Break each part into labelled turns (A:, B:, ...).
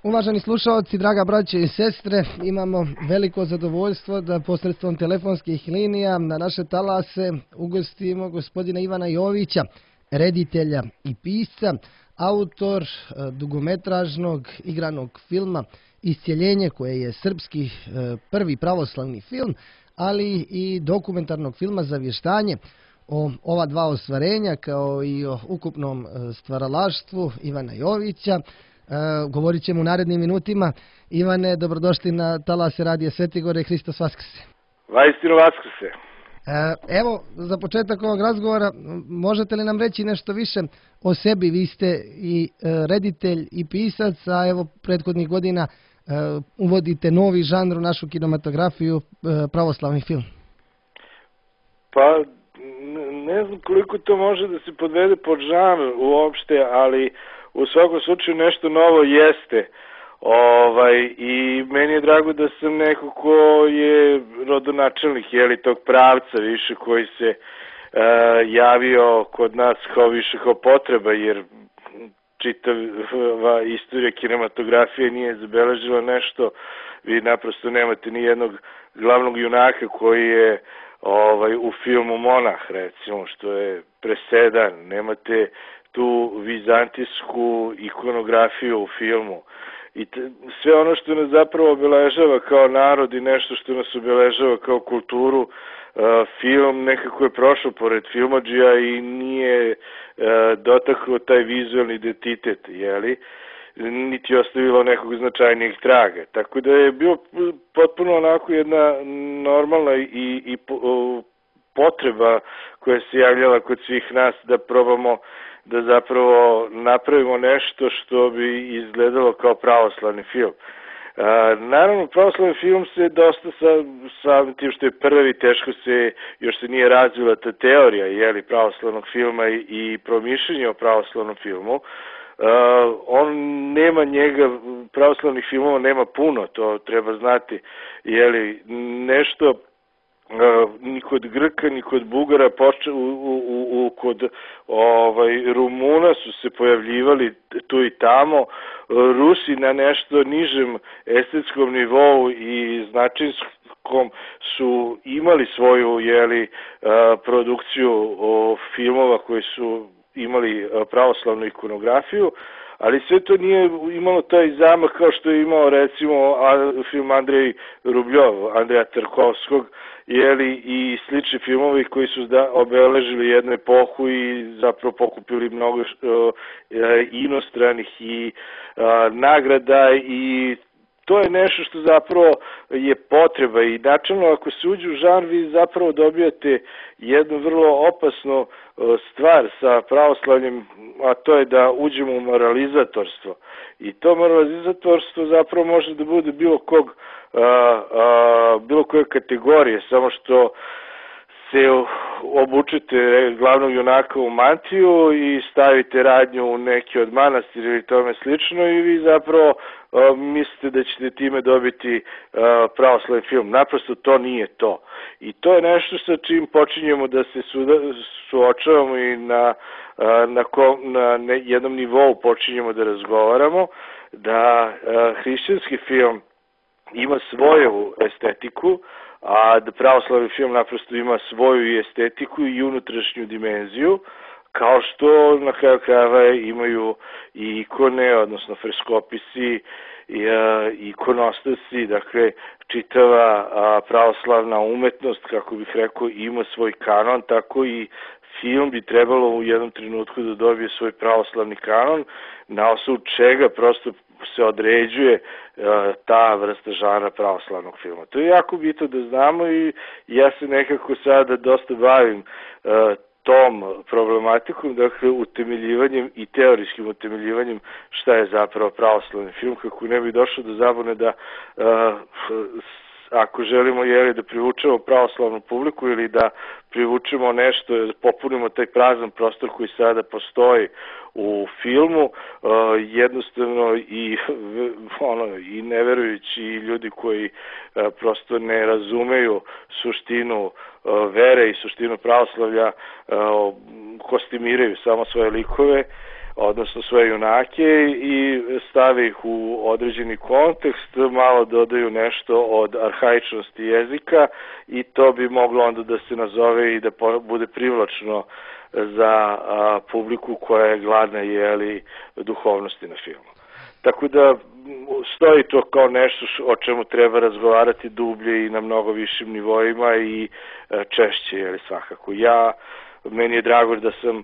A: Uvaženi slušalci, draga braće i sestre, imamo veliko zadovoljstvo da posredstvom telefonskih linija na naše talase ugostimo gospodina Ivana Jovića, reditelja i pisca, autor dugometražnog igranog filma Iscjeljenje, koje je srpski prvi pravoslavni film, ali i dokumentarnog filma Zavještanje o ova dva ostvarenja, kao i o ukupnom stvaralaštvu Ivana Jovića. Govorit ćemo u narednim minutima. Ivane, dobrodošli na talase Radija Svetigore, Hristos Vaskrse.
B: Vaistinu Vaskrse.
A: Evo, za početak ovog razgovora, možete li nam reći nešto više o sebi? Vi ste i reditelj i pisac, a evo prethodnih godina uvodite novi žanr u našu kinematografiju, pravoslavni film.
B: Pa, ne znam koliko to može da se podvede pod žanr uopšte, ali u svakom slučaju nešto novo jeste. I meni je drago da sam neko ko je rodonačelnik tog pravca više koji se javio kod nas kao više kao potreba, jer čitava istorija kinematografije nije zabeležila nešto. Vi naprosto nemate ni jednog glavnog junaka koji je u filmu Monah, recimo, što je presedan. Nemate tu vizantijsku ikonografiju u filmu. I sve ono što nas zapravo obeležava kao narod i nešto što nas obeležava kao kulturu, film nekako je prošao pored filmadžija i nije dotakao taj vizualni identitet, niti ostavilo nekog značajnijeg traga. Tako da je bilo potpuno onako jedna normalna i potreba koja se javljala kod svih nas da probamo da zapravo napravimo nešto što bi izgledalo kao pravoslavni film. Naravno, pravoslavni film se dosta sa tim što je prvi, teško još se nije razvila ta teorija pravoslavnog filma i promišljenje o pravoslavnom filmu. On nema njega, pravoslavnih filmova nema puno, to treba znati, nešto ni kod Grka, ni kod Bugara, kod Rumuna su se pojavljivali tu i tamo, Rusi na nešto nižem estetskom nivou i značinskom su imali svoju produkciju filmova koji su imali pravoslavnu ikonografiju, ali sve to nije imalo taj zamah kao što je imao recimo film Andrej Rubljov, Andreja Tarkovskog, i slični filmovi koji su obeležili jednu epohu i zapravo pokupili mnogo inostranih i nagrada, i to je nešto što zapravo je potreba. I načelno, ako se uđe u žanr, vi zapravo dobijate jednu vrlo opasnu stvar sa pravoslavljem, a to je da uđemo u moralizatorstvo. I to moralizatorstvo zapravo može da bude bilo koje kategorije, samo što se obučete glavnog junaka u mantiju i stavite radnju u neki od manastira ili tome slično i vi zapravo mislite da ćete time dobiti pravoslavni film. Naprosto to nije to. I to je nešto sa čim počinjemo da se suočavamo i na jednom nivou počinjemo da razgovaramo, da hrišćanski film ima svoju estetiku, a da pravoslavni film naprosto ima svoju estetiku i unutrašnju dimenziju, kao što na kraju krajeva imaju i ikone, odnosno freskopisi, ikonostasi, dakle čitava pravoslavna umetnost, kako bih rekao, ima svoj kanon, tako i film bi trebalo u jednom trenutku da dobije svoj pravoslavni kanon, na osnovu čega prosto se određuje ta vrsta žanra pravoslavnog filma. To je jako bitno da znamo i ja se nekako sada dosta bavim tom problematikom, dakle utemeljivanjem i teorijskim utemeljivanjem šta je zapravo pravoslavni film, kako ne bi došlo do zabune da ako želimo da privučemo pravoslavnu publiku ili da privučemo nešto, da popunimo taj prazan prostor koji sada postoji u filmu, jednostavno i neverujući ljudi koji prosto ne razumeju suštinu vere i suštinu pravoslavlja kostimiraju samo svoje likove, odnosno sve junake i stave ih u određeni kontekst, malo dodaju nešto od arhaičnosti jezika i to bi moglo onda da se nazove i da bude privlačno za publiku koja je gladna duhovnosti na filmu. Tako da stoji to kao nešto o čemu treba razgovarati dublje i na mnogo višim nivoima i češće, svakako. Meni je drago da sam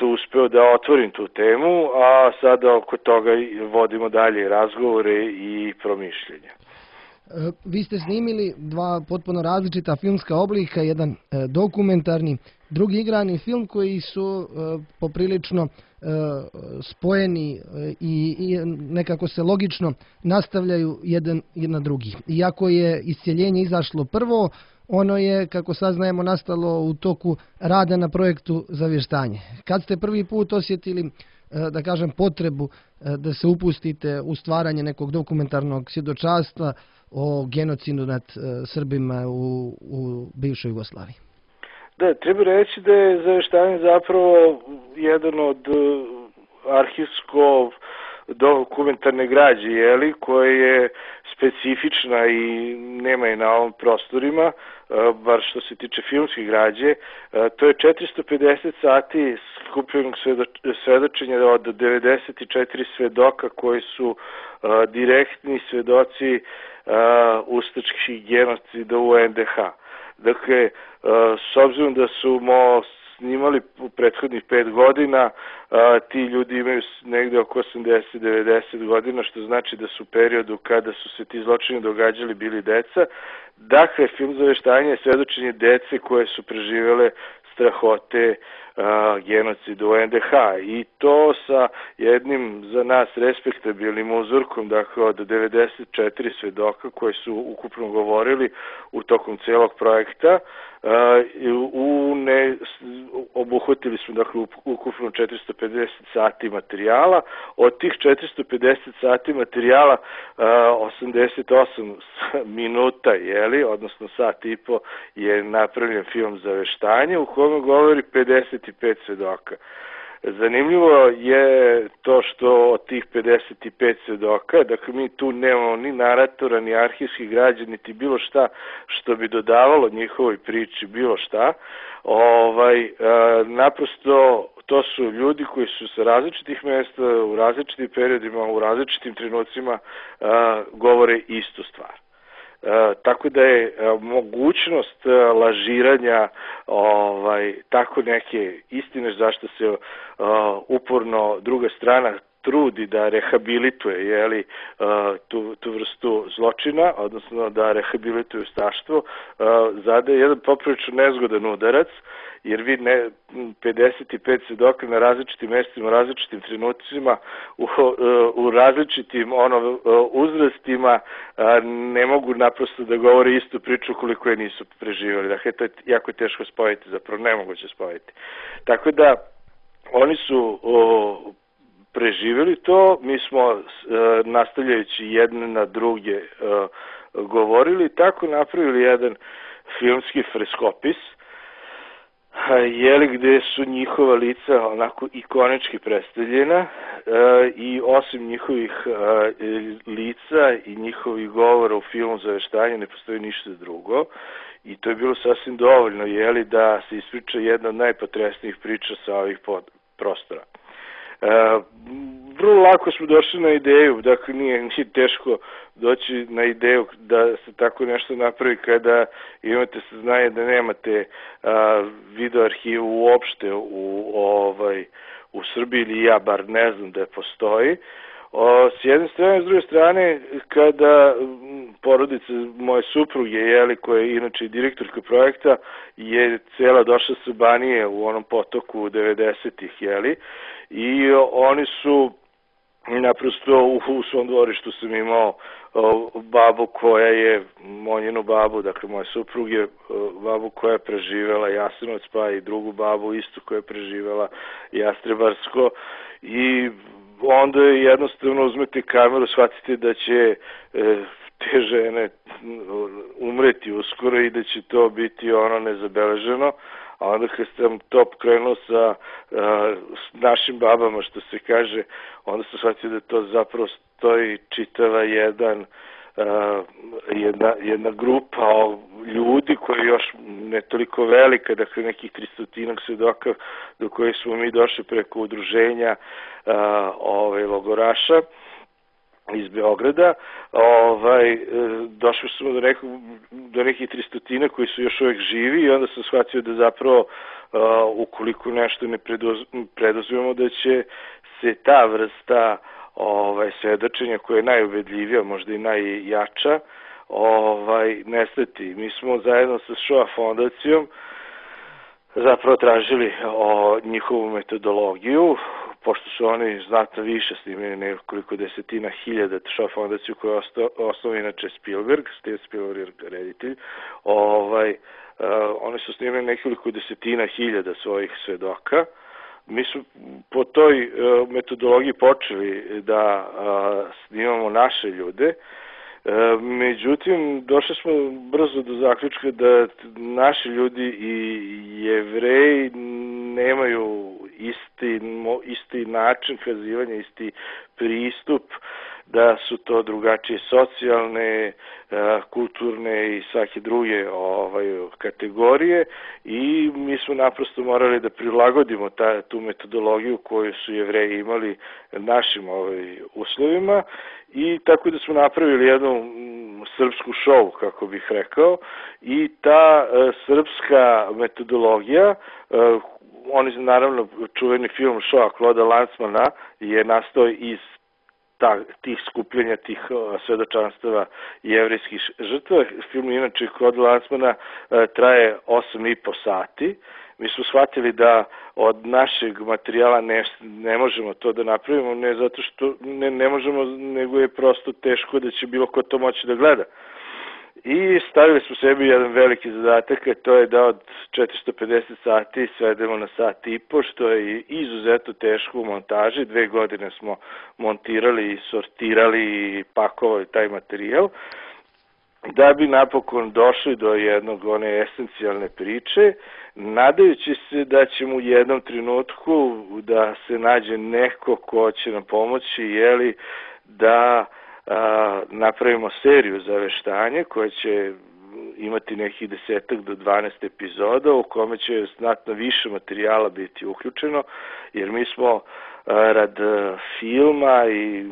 B: uspeo da otvorim tu temu, a sada oko toga vodimo dalje razgovore i promišljenja.
A: Vi ste snimili dva potpuno različita filmska oblika, jedan dokumentarni, drugi igrani film koji su poprilično spojeni i nekako se logično nastavljaju jedan na drugi. Iako je Isceljenje izašlo prvo, ono je, kako saznajemo, nastalo u toku rada na projektu Zavještanje. Kad ste prvi put osjetili, da kažem, potrebu da se upustite u stvaranje nekog dokumentarnog svjedočanstva o genocidu nad Srbima u bivšoj Jugoslaviji?
B: Da, treba reći da je Zavještanje zapravo jedan od arhivsko dokumentarne građe, koja je specifična i nema je na ovim prostorima, bar što se tiče filmskih građe. To je 450 sati skupljenog svedočenja od 94 svedoka koji su direktni svedoci ustaških genocida u NDH. Dakle, s obzirom da su snimali u prethodnih 5 godina, ti ljudi imaju negde oko 80-90 godina, što znači da su u periodu kada su se ti zločini događali bili deca. Dakle, film Zavještanje je svedočenje dece koje su preživele strahote genocidu u NDH i to sa jednim za nas respektabilnim uzorkom, dakle od 94 svedoka koji su ukupno govorili u tokom celog projekta. Obuhvatili smo dakle ukupno 450 sati materijala. Od tih 450 sati materijala 88 minuta, odnosno sat i po, je napravljen film Zavještanje u kome govori 55 svedoka. Zanimljivo je to što od tih 55 svedoka, dakle mi tu nemamo ni naratora, ni arhivskih građa, niti bilo šta što bi dodavalo njihovoj priči, bilo šta. Naprosto to su ljudi koji su sa različitih mesta, u različitim periodima, u različitim trenucima govore istu stvar. Tako da je mogućnost lažiranja tako neke istine, zašto se uporno druga strana trudi da rehabilituje tu vrstu zločina, odnosno da rehabilituje ustaštvo, zadaje jedan poprilično nezgodan udarac, jer vi 55 svedoka na različitim mestima, u različitim trenucima, u različitim uzrastima ne mogu naprosto da govore istu priču koliko je nisu preživjeli. Dakle, to je jako teško spojiti, zapravo nemoguće spojiti. Tako da, oni su preživjeli to, mi smo nastavljajući jedne na druge govorili, tako napravili jedan filmski freskopis, gde su njihova lica onako ikonički predstavljena i osim njihovih lica i njihovih govora u filmu Zavještanje ne postoji ništa drugo i to je bilo sasvim dovoljno da se ispriča jedna od najpotresnijih priča sa ovih prostora. Vrlo lako smo došli na ideju, dakle nije teško doći na ideju da se tako nešto napravi kada imate saznanje da nemate video arhivu uopšte u Srbiji, ili ja bar ne znam da je postoji. S jedne strane, s druge strane, kada porodica moje supruge, koja je inače direktorka projekta, je cela došla sa Banije u onom potoku 90-ih, i oni su naprosto u svom dvorištu sam imao babu koja je, njenu babu, dakle moje supruge, babu koja je preživela Jasenovac, pa i drugu babu istu koja je preživela Jastrebarsko, i onda jednostavno uzmete kameru, shvatite da će te žene umreti uskoro i da će to biti nezabeleženo, a onda kad sam to krenuo sa našim babama, što se kaže, onda sam shvatio da to zapravo stoji čitava jedna grupa ljudi koja je još ne toliko velika, dakle nekih 300 svedoka do kojih smo mi došli preko udruženja logoraša iz Beograda, došli smo do nekih 300 koji su još uvek živi i onda sam shvatio da zapravo ukoliko nešto ne preduzmemo da će se ta vrsta svedočenja koja je najubedljivija, možda i najjača, nestati. Mi smo zajedno sa Shoah fondacijom zapravo tražili njihovu metodologiju, pošto su oni znatno više snimili nekoliko desetina hiljada, Shoah fondaciju koja je osnovna inače Spielberg, Steven Spielberg reditelj, oni su snimili nekoliko desetina hiljada svojih svedoka. Mi smo po toj metodologiji počeli da snimamo naše ljude, međutim došli smo brzo do zaključka da naši ljudi i Jevreji nemaju isti način kazivanja, isti pristup, da su to drugačije socijalne, kulturne i svake druge kategorije i mi smo naprosto morali da prilagodimo tu metodologiju koju su Jevreji imali našim uslovima i tako da smo napravili jednu srpsku šou, kako bih rekao, i ta srpska metodologija, oni naravno čuveni film Shoah Claude Lanzmana je nastao iz tih skupljenja, tih svedočanstava jevrejskih žrtva. Film inače Claude Lanzmana traje 8,5 sati. Mi smo shvatili da od našeg materijala ne možemo to da napravimo, ne zato što ne možemo, nego je prosto teško da će bilo ko to moći da gleda. I stavili smo sebi jedan veliki zadatak, a to je da od 450 sati svedemo na sat i po, što je izuzetno teško u montaži. 2 godine smo montirali, sortirali i pakovali taj materijal, da bi napokon došli do one esencijalne priče, nadajući se da ćemo u jednom trenutku da se nađe neko ko će nam pomoći, da napravimo seriju za veštanje koja će imati nekih 10 do 12 epizoda u kome će znatno više materijala biti uključeno, jer mi smo rad filma i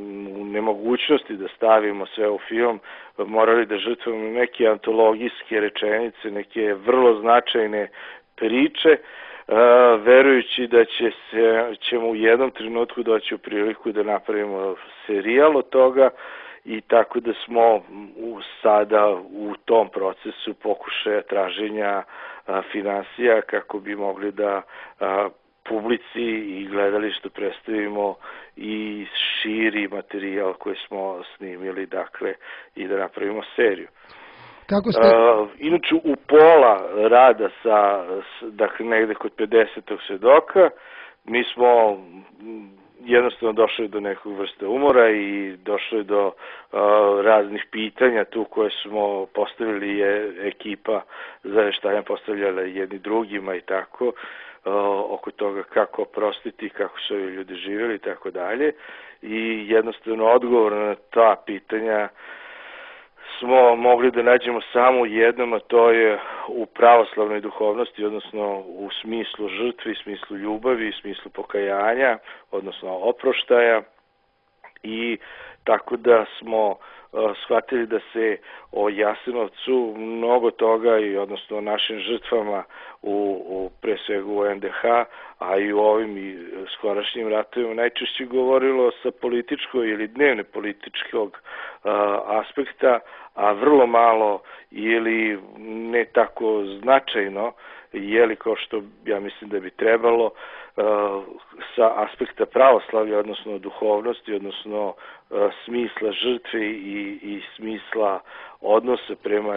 B: nemogućnosti da stavimo sve u film morali da žrtvujemo neke antologijske rečenice, neke vrlo značajne priče, verujući da ćemo u jednom trenutku doći u priliku da napravimo serijal od toga i tako da smo sada u tom procesu pokušaja traženja finansija kako bi mogli da publici i gledalištu predstavimo i širi materijal koji smo snimili, dakle, i da napravimo seriju.
A: Kako ste...
B: Inače, u pola rada dakle, negde kod 50. svedoka, mi smo jednostavno došli do nekog vrste umora i došli do raznih pitanja tu koje smo postavili, ekipa za veštanje postavljala jedni drugima i tako, oko toga kako oprostiti, kako su ovi ljudi živjeli i tako dalje. I jednostavno odgovor na ta pitanja smo mogli da nađemo samo u jednom, a to je u pravoslavnoj duhovnosti, odnosno u smislu žrtve, smislu ljubavi, smislu pokajanja, odnosno oproštaja, i tako da smo shvatili da se o Jasenovcu mnogo toga i odnosno o našim žrtvama pre svega u NDH, a i u ovim skorašnjim ratovima najčešće govorilo sa političkog ili dnevne političkog aspekta, a vrlo malo ili ne tako značajno, kao što ja mislim da bi trebalo, sa aspekta pravoslavlja, odnosno duhovnosti, odnosno smisla žrtve i smisla odnosa prema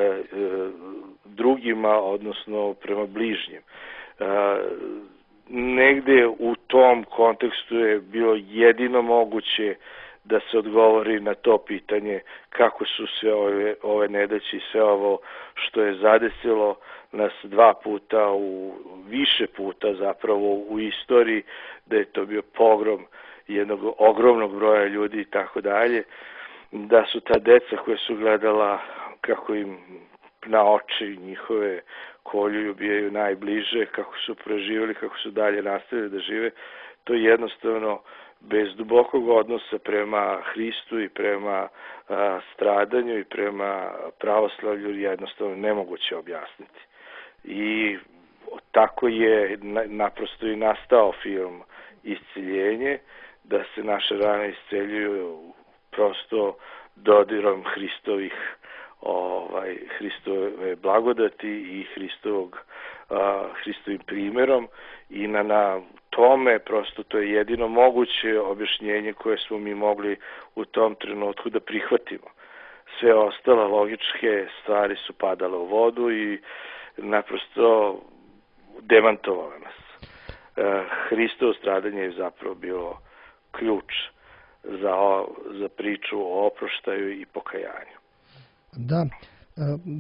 B: drugima, odnosno prema bližnjim. Negde u tom kontekstu je bilo jedino moguće da se odgovori na to pitanje kako su sve ove nedaće i sve ovo što je zadesilo nas 2 puta, više puta zapravo u istoriji, da je to bio pogrom jednog ogromnog broja ljudi i tako dalje, da su ta deca koja su gledala kako im na oči njihove kolju i ubijaju najbliže, kako su preživjeli, kako su dalje nastavili da žive, to je jednostavno bez dubokog odnosa prema Hristu i prema stradanju i prema pravoslavlju jednostavno nemoguće objasniti. I tako je naprosto i nastao film Isceljenje, da se naše rane isceljuju prosto dodirom Hristove blagodati i Hristovim primerom i na tome prosto to je jedino moguće objašnjenje koje smo mi mogli u tom trenutku da prihvatimo. Sve ostale logičke stvari su padale u vodu i naprosto demantovale nas. Hristovo stradanje je zapravo bilo ključ za priču o oproštaju i pokajanju.
A: Da,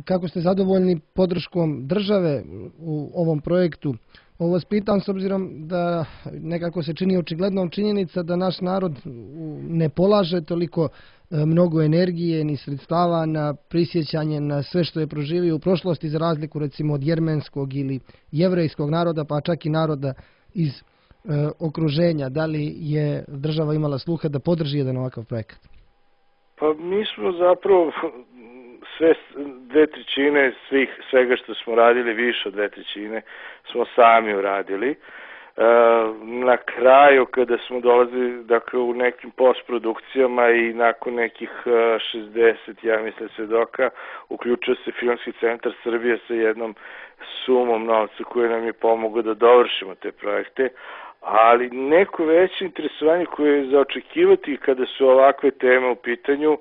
A: kako ste zadovoljni podrškom države u ovom projektu? Ovo vas pitam s obzirom da nekako se čini očiglednom činjenica da naš narod ne polaže toliko mnogo energije ni sredstava na prisjećanje na sve što je proživio u prošlosti, za razliku recimo od jermenskog ili jevrejskog naroda, pa čak i naroda iz okruženja. Da li je država imala sluha da podrži jedan ovakav projekat?
B: Pa mi smo zapravo sve 2/3 svega što smo radili, više od 2/3 smo sami uradili. Na kraju kada smo dolazili u nekim postprodukcijama i nakon nekih 60, ja mislim, svedoka, uključio se Filmski centar Srbije sa jednom sumom novca koje nam je pomogao da dovršimo te projekte, ali neko veće interesovanje koje je za očekivati kada su ovakve teme u pitanju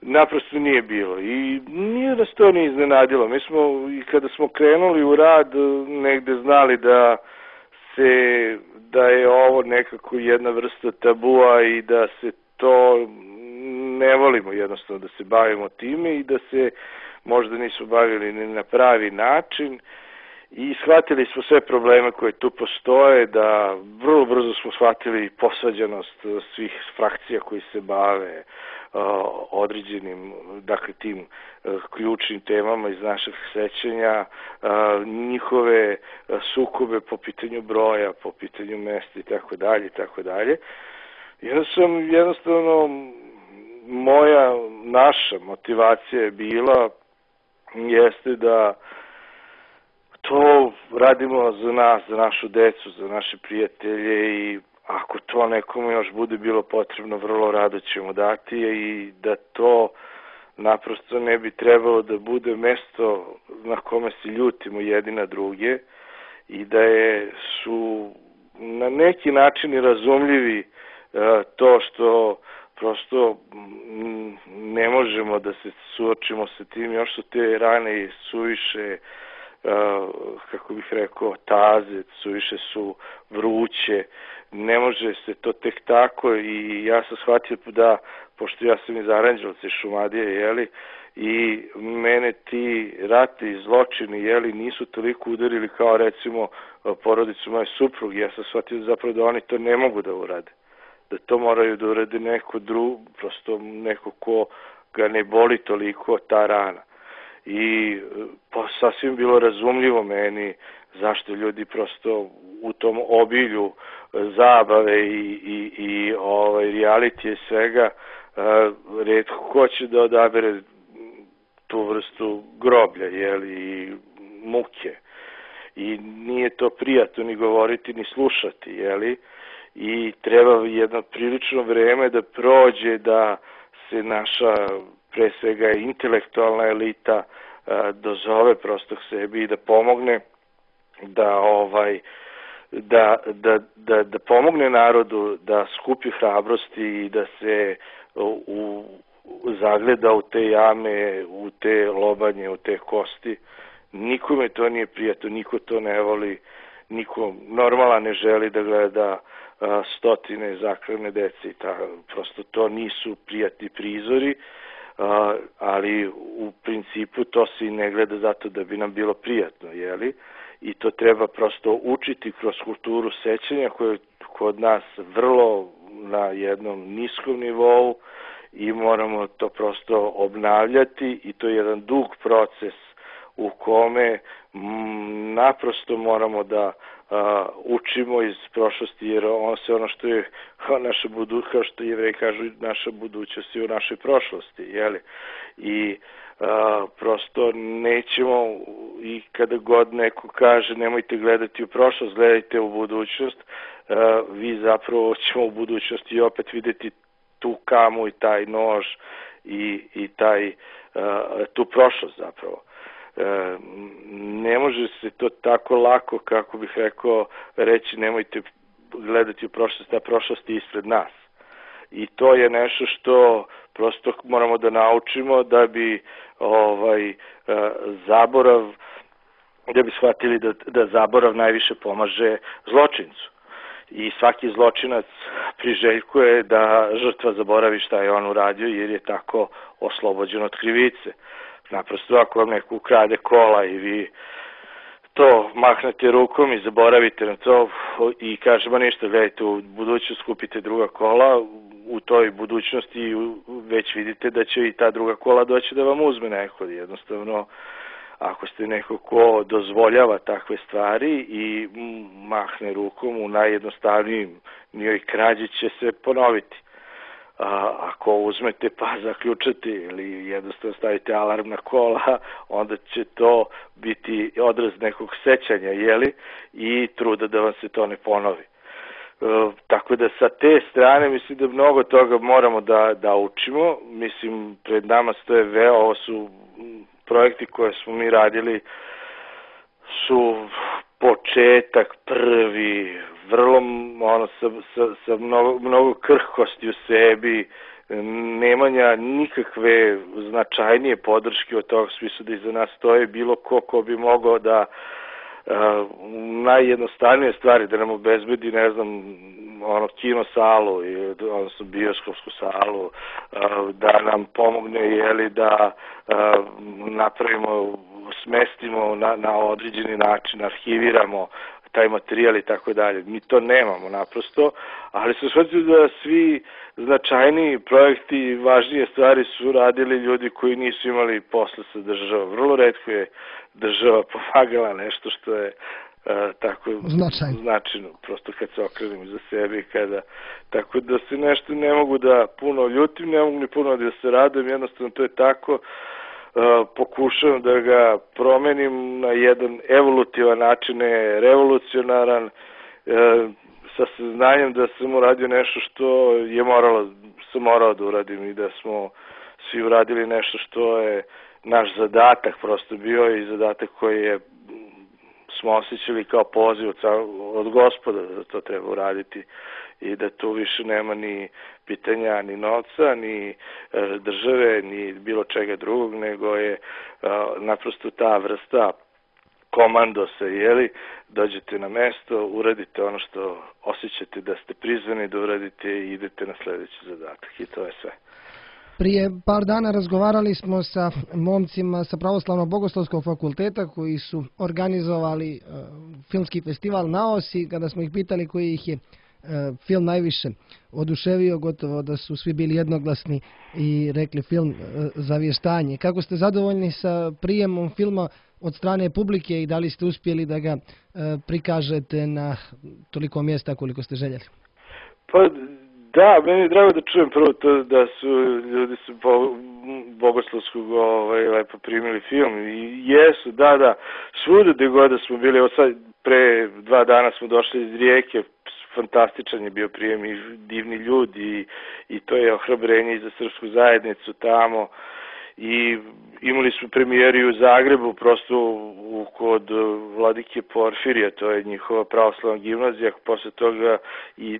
B: naprosto nije bilo i nije nas to ni iznenadilo. Mi smo i kada smo krenuli u rad negde znali da je ovo nekako jedna vrsta tabua i da se to ne volimo jednostavno da se bavimo time i da se možda nisu bavili ni na pravi način i shvatili smo sve probleme koje tu postoje, da vrlo brzo smo shvatili posvađanost svih frakcija koji se bave određenim, dakle tim ključnim temama iz naših sećanja, njihove sukobe po pitanju broja, po pitanju mesta i tako dalje i tako dalje. Jednostavno naša motivacija je bila jeste da to radimo za nas, za našu decu, za naše prijatelje i ako to nekome još bude bilo potrebno, vrlo rado ćemo dati i da to naprosto ne bi trebalo da bude mesto na kome se ljutimo jedni na druge i da su na neki način razumljivi to što prosto ne možemo da se suočimo sa tim, još su te rane suviše, kako bih rekao, taze, suviše su vruće, ne može se to tek tako i ja sam shvatio da, pošto ja sam iz Aranđelovca, iz Šumadije, i mene ti rati i zločini, nisu toliko udarili kao recimo porodicu moje supruge, ja sam shvatio zapravo da oni to ne mogu da urade, da to moraju da urade neko drugo, prosto neko ko ga ne boli toliko ta rana. I sasvim bilo razumljivo meni zašto ljudi prosto u tom obilju zabave i reality svega retko hoće da odabere tu vrstu groblja i muke i nije to prijatno ni govoriti ni slušati i treba jedno prilično vreme da prođe da se naša pre svega intelektualna elita dozove prosto k sebi i da pomogne da pomogne narodu da skupi hrabrosti i da se zagleda u te jame, u te lobanje, u te kosti. Nikome to nije prijatno, niko to ne voli, niko normalan ne želi da gleda stotine zaklane dece i prosto to nisu prijatni prizori, ali u principu to se i ne gleda zato da bi nam bilo prijatno, jeli? I to treba prosto učiti kroz kulturu sećanja koja je kod nas vrlo na jednom niskom nivou i moramo to prosto obnavljati i to je jedan dug proces u kome naprosto moramo da učimo iz prošlosti, jer ono što je naša budućnost, kao što Jevreji kažu, naša budućnost je u našoj prošlosti, jeli? I prosto nećemo, i kada god neko kaže nemojte gledati u prošlost, gledajte u budućnost, vi zapravo ćemo u budućnosti opet videti tu kamu i taj nož i tu prošlost zapravo. Ne može se to tako lako, kako bih rekao, reći nemojte gledati u prošlost, a prošlost je ispred nas. I to je nešto što prosto moramo da naučimo da bi zaborav, da bi shvatili da zaborav najviše pomaže zločincu. I svaki zločinac priželjkuje da žrtva zaboravi šta je on uradio, jer je tako oslobođen od krivice. Naprosto ako vam neko ukrade kola i vi to mahnete rukom i zaboravite na to i kažemo ništa, gledajte, u budućnosti kupite druga kola, u toj budućnosti već vidite da će i ta druga kola doći da vam uzme neko. Jednostavno, ako ste neko ko dozvoljava takve stvari i mahne rukom, u najjednostavnijim njoj krađi će se ponoviti. Ako uzmete pa zaključate ili jednostavno stavite alarm na kola, onda će to biti odraz nekog sećanja, jeli, i truda da vam se to ne ponovi. Tako da sa te strane mislim da mnogo toga moramo da učimo. Mislim, pred nama stoje ovo su projekti koje smo mi radili, su početak prvi, vrlo sa mnogo krhkosti u sebi, nemanja nikakve značajnije podrške od toga smisla da iza nas stoje bilo ko bi mogao da najjednostavnije stvari da nam obezbedi, ne znam, kino salu, odnosno bioskopsku salu, da nam pomogne, jeli, da napravimo, smestimo na određeni način, arhiviramo taj materijal i tako dalje. Mi to nemamo naprosto, ali se shvatio da svi značajniji projekti i važnije stvari su radili ljudi koji nisu imali posla sa državom. Vrlo retko je država pomagala nešto što je tako značajno, prosto kad se okrenem za sebe i kada, tako da se nešto ne mogu da puno ljutim, ne mogu ni puno da se radujem, jednostavno to je tako. Pokušavam da ga promenim na jedan evolutivan način, ne revolucionaran, sa saznanjem da sam uradio nešto što je morao da uradim i da smo svi uradili nešto što je naš zadatak prosto bio i zadatak koji smo osjećali kao poziv od Gospoda da to treba uraditi i da tu više nema ni pitanja, ni novca, ni države, ni bilo čega drugog, nego je naprosto ta vrsta komandosa, jeli, dođete na mesto, uradite ono što osjećate da ste prizvani da uradite i idete na sledeći zadatak i to je sve.
A: Prije par dana razgovarali smo sa momcima sa Pravoslavno-bogoslovskog fakulteta koji su organizovali filmski festival na Osi, kada smo ih pitali koji ih je film najviše oduševio, gotovo da su svi bili jednoglasni i rekli film Zavještanje. Kako ste zadovoljni sa prijemom filma od strane publike i da li ste uspjeli da ga prikažete na toliko mjesta koliko ste željeli?
B: Pa da, meni je drago da čujem prvo to da su ljudi bogoslovskog lepo primili film i jesu, da, svuda gde god da smo bili, evo sad pre 2 dana smo došli iz Rijeke, fantastičan je bio prijem i divni ljudi i to je ohrabrenje i za srpsku zajednicu tamo i imali smo premijeri u Zagrebu prosto kod Vladike Porfirija, to je njihova pravoslavna gimnazija, posle toga i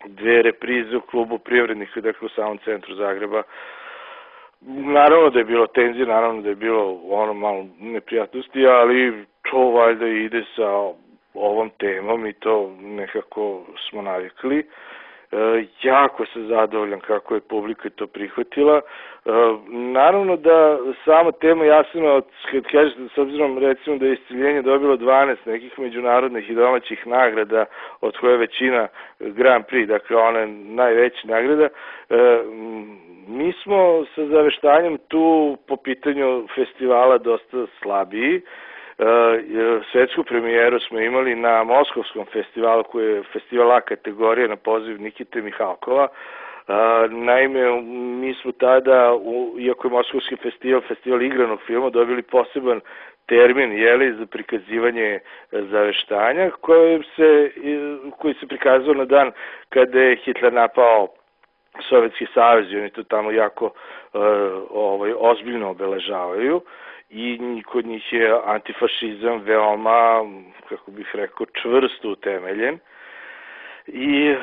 B: 2 reprize u klubu Privrednika, dakle u samom centru Zagreba. Naravno da je bilo tenzije, naravno da je bilo malo neprijatnosti, ali to valjda ide sa ovom temom i to nekako smo navikli. Jako sam zadovoljan kako je publika to prihvatila. Naravno da sama tema Jasenovac, kad kažete, s obzirom recimo da je Isceljenje dobilo 12 nekih međunarodnih i domaćih nagrada, od koje je većina Grand Prix, dakle ona je najveća nagrada, mi smo sa Zaveštanjem tu po pitanju festivala dosta slabiji. Svetsku premijeru smo imali na Moskovskom festivalu, koji je festival A kategorije na poziv Nikite Mihalkova. Naime, mi smo tada, iako je Moskovski festival igranog filma, dobili poseban termin za prikazivanje Zaveštanja, koji se prikazao na dan kada je Hitler napao Sovjetski savez i oni to tamo jako ozbiljno obeležavaju. I kod njih je antifašizam veoma, kako bih rekao, čvrsto utemeljen. I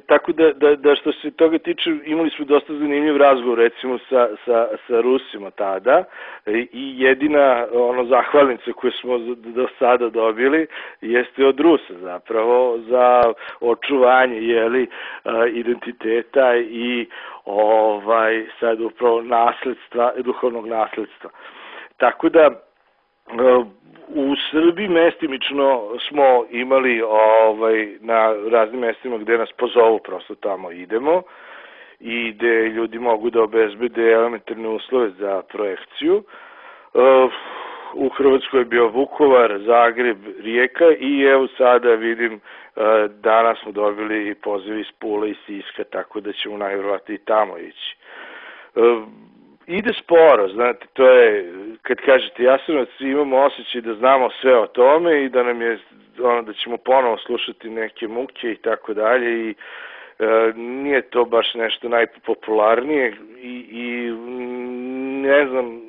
B: tako da što se toga tiče, imali smo dosta zanimljiv razgovor recimo sa Rusima tada i jedina zahvalnica koju smo do sada dobili jeste od Rusa zapravo za očuvanje identiteta i sad upravo duhovnog nasledstva. Tako da u Srbiji mestimično smo imali na raznim mestima gde nas pozovu, prosto tamo idemo i gde ljudi mogu da obezbede elementarne uslove za projekciju. U Hrvatskoj je bio Vukovar, Zagreb, Rijeka i evo sada vidim danas smo dobili poziv iz Pule i Siska, tako da ćemo najvjerovatnije i tamo ići. Ide sporo, znate, to je, kad kažete Jasenovac, imamo osjećaj da znamo sve o tome i da nam je, da ćemo ponovo slušati neke muke i tako dalje i nije to baš nešto najpopularnije i ne znam,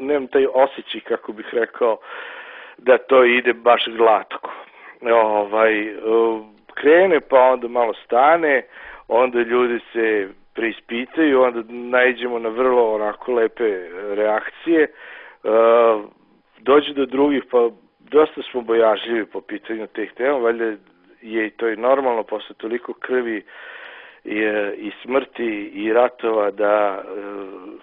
B: nemam taj osjećaj, kako bih rekao, da to ide baš glatko. Krene pa onda malo stane, onda ljudi se preispitaju, onda naiđemo na vrlo onako lepe reakcije, dođe do drugih, pa dosta smo bojažljivi po pitanju teh tema, valjda je i to i normalno posle toliko krvi i smrti i ratova da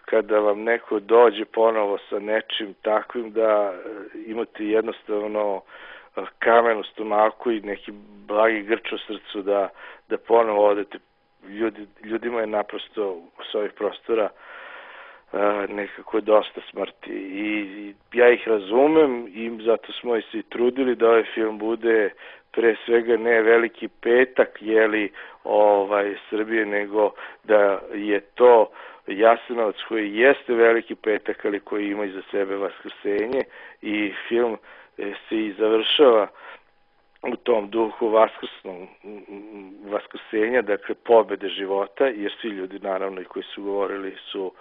B: kada vam neko dođe ponovo sa nečim takvim da imate jednostavno kamen u stomaku i neki blagi grč u srcu da ponovo odete. Ljudima je naprosto s ovih prostora nekako dosta smrti i ja ih razumem i zato smo i svi trudili da ovaj film bude pre svega ne veliki petak Srbije, nego da je to Jasenovac koji jeste veliki petak, ali koji ima iza sebe vaskrsenje i film se i završava u tom duhu vaskrsenja, dakle pobede života, jer svi ljudi naravno i koji su govorili su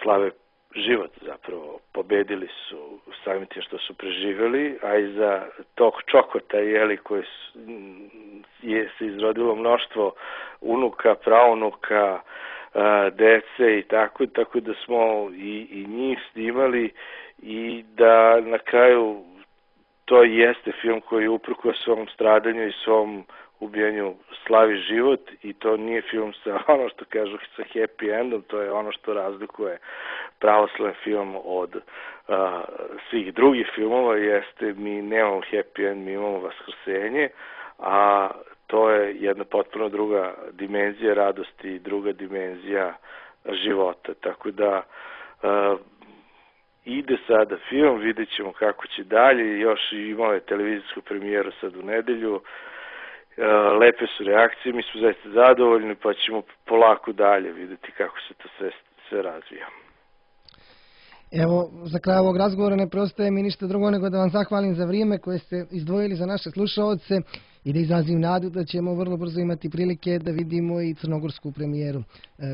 B: slave život zapravo, pobedili su samim tim što su preživjeli, a iza tog čokota koji se izrodilo mnoštvo unuka, praunuka, dece i tako da smo i njih snimali i da na kraju to jeste film koji uprkos svom stradanju i svom ubijanju slavi život i to nije film sa ono što kažu sa happy endom, to je ono što razlikuje pravoslavan film od svih drugih filmova, jeste mi nemamo happy end, mi imamo vaskrsenje, a to je jedna potpuno druga dimenzija radosti i druga dimenzija života, tako da ide sada film, vidjet ćemo kako će dalje, još imao je televizijsku premijeru sad u nedelju, lepe su reakcije, mi smo zaista zadovoljni, pa ćemo polako dalje vidjeti kako se to sve razvija.
A: Evo, za kraj ovog razgovora ne preostaje mi ništa drugo nego da vam zahvalim za vrijeme koje ste izdvojili za naše slušaoce i da izrazim nadu da ćemo vrlo brzo imati prilike da vidimo i crnogorsku premijeru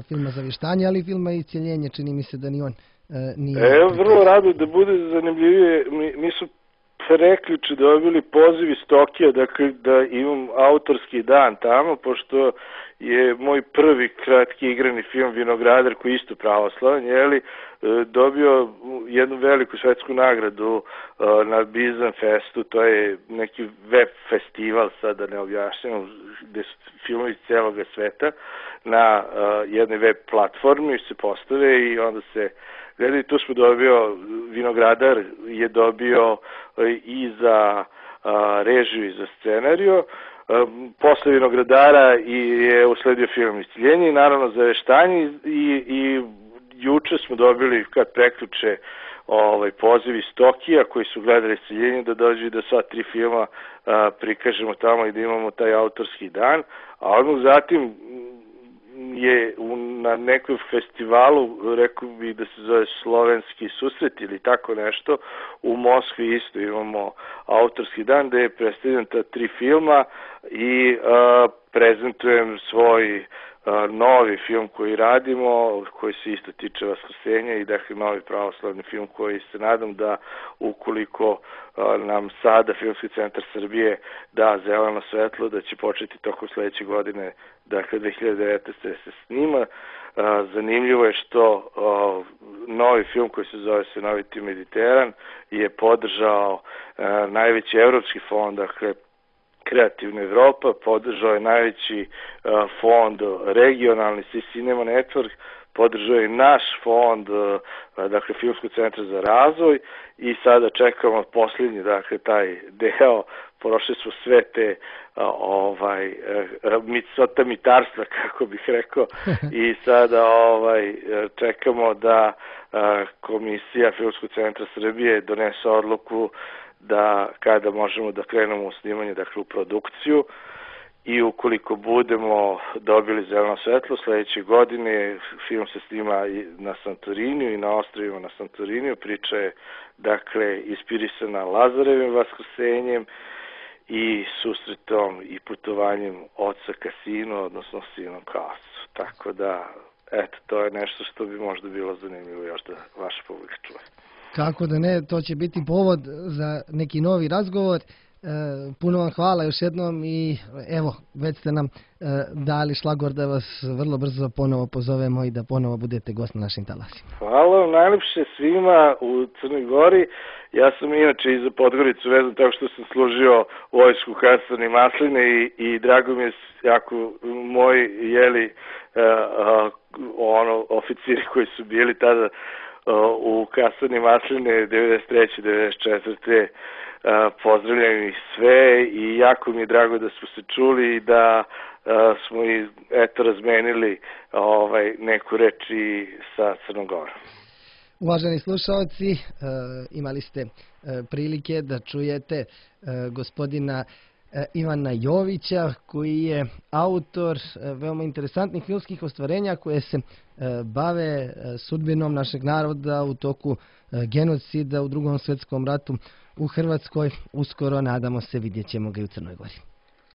A: filma Zavještanje, ali i filma Isceljenje, čini mi se da ni on nije...
B: Evo, vrlo rado da bude zanimljivije, mi su prekjuče dobili poziv iz Tokija, dakle da imam autorski dan tamo, pošto je moj prvi kratki igrani film Vinogradar, koji je isto pravoslavan, dobio jednu veliku svetsku nagradu na Bizan Festu, to je neki web festival, sad da ne objašnjam, gde su filmovi celoga sveta na jednoj web platformi se postave i onda se gledaju. Tu smo dobio, Vinogradar je dobio i za režiju i za scenariju. Posle Vinogradara je usledio film Isciljenje i naravno za veštanje i juče smo dobili kad preključe poziv iz Tokija koji su gledali Isciljenje da dođu i da sva 3 filma prikažemo tamo i da imamo taj autorski dan, a odmah zatim je na nekom festivalu, rekao bih da se zove Slovenski susret ili tako nešto, u Moskvi isto imamo autorski dan gde je predstavljen ta 3 filma i prezentujem svoj novi film koji radimo, koji se isto tiče Vaskrsenja i dakle novi pravoslavni film koji se nadam da ukoliko nam sada Filmski centar Srbije da zeleno svetlo, da će početi tokom sledeće godine, dakle 2019. da se snima. Zanimljivo je što novi film koji se zove Senoviti Mediteran je podržao najveći evropski fond, dakle Kreativna Evropa, podržao je najveći fond regionalni Cinema Network, podržao je naš fond, dakle Filmskog centra za razvoj i sada čekamo posljednji, dakle taj deo, prošli smo sve te mitarstva, kako bih rekao, i sada čekamo da Komisija Filmskog centra Srbije donese odluku da kada možemo da krenemo u snimanje, dakle u produkciju, i ukoliko budemo dobili zeleno svetlo, sledeće godine film se snima na Santoriniju i na ostrovima na Santoriniju. Priča je, dakle, inspirisana Lazarevim vaskrsenjem i susretom i putovanjem oca ka sinu, odnosno sinom ka ocu. Tako da, eto, to je nešto što bi možda bilo zanimljivo još da vaša publika čuje.
A: Kako da ne, to će biti povod za neki novi razgovor. Puno vam hvala još jednom i evo, već ste nam dali šlagor da vas vrlo brzo ponovo pozovemo i da ponovo budete gost na našim talasima.
B: Hvala vam najlepše svima u Crnoj Gori. Ja sam inače i za Podgoricu vezan tako što sam služio vojsku kasarni Masline i drago mi je jako moji oficiri koji su bili tada u kasarni Masline 93. 94. Pozdravljam ih sve i jako mi je drago da smo se čuli i da smo i razmenili neku reč i sa Crnom Gorom.
A: Uvaženi slušalci, imali ste prilike da čujete gospodina Ivana Jovića, koji je autor veoma interesantnih filmskih ostvarenja koje se bave sudbinom našeg naroda u toku genocida u Drugom svetskom ratu u Hrvatskoj. Uskoro, nadamo se, vidjet ćemo ga i u Crnoj Gori.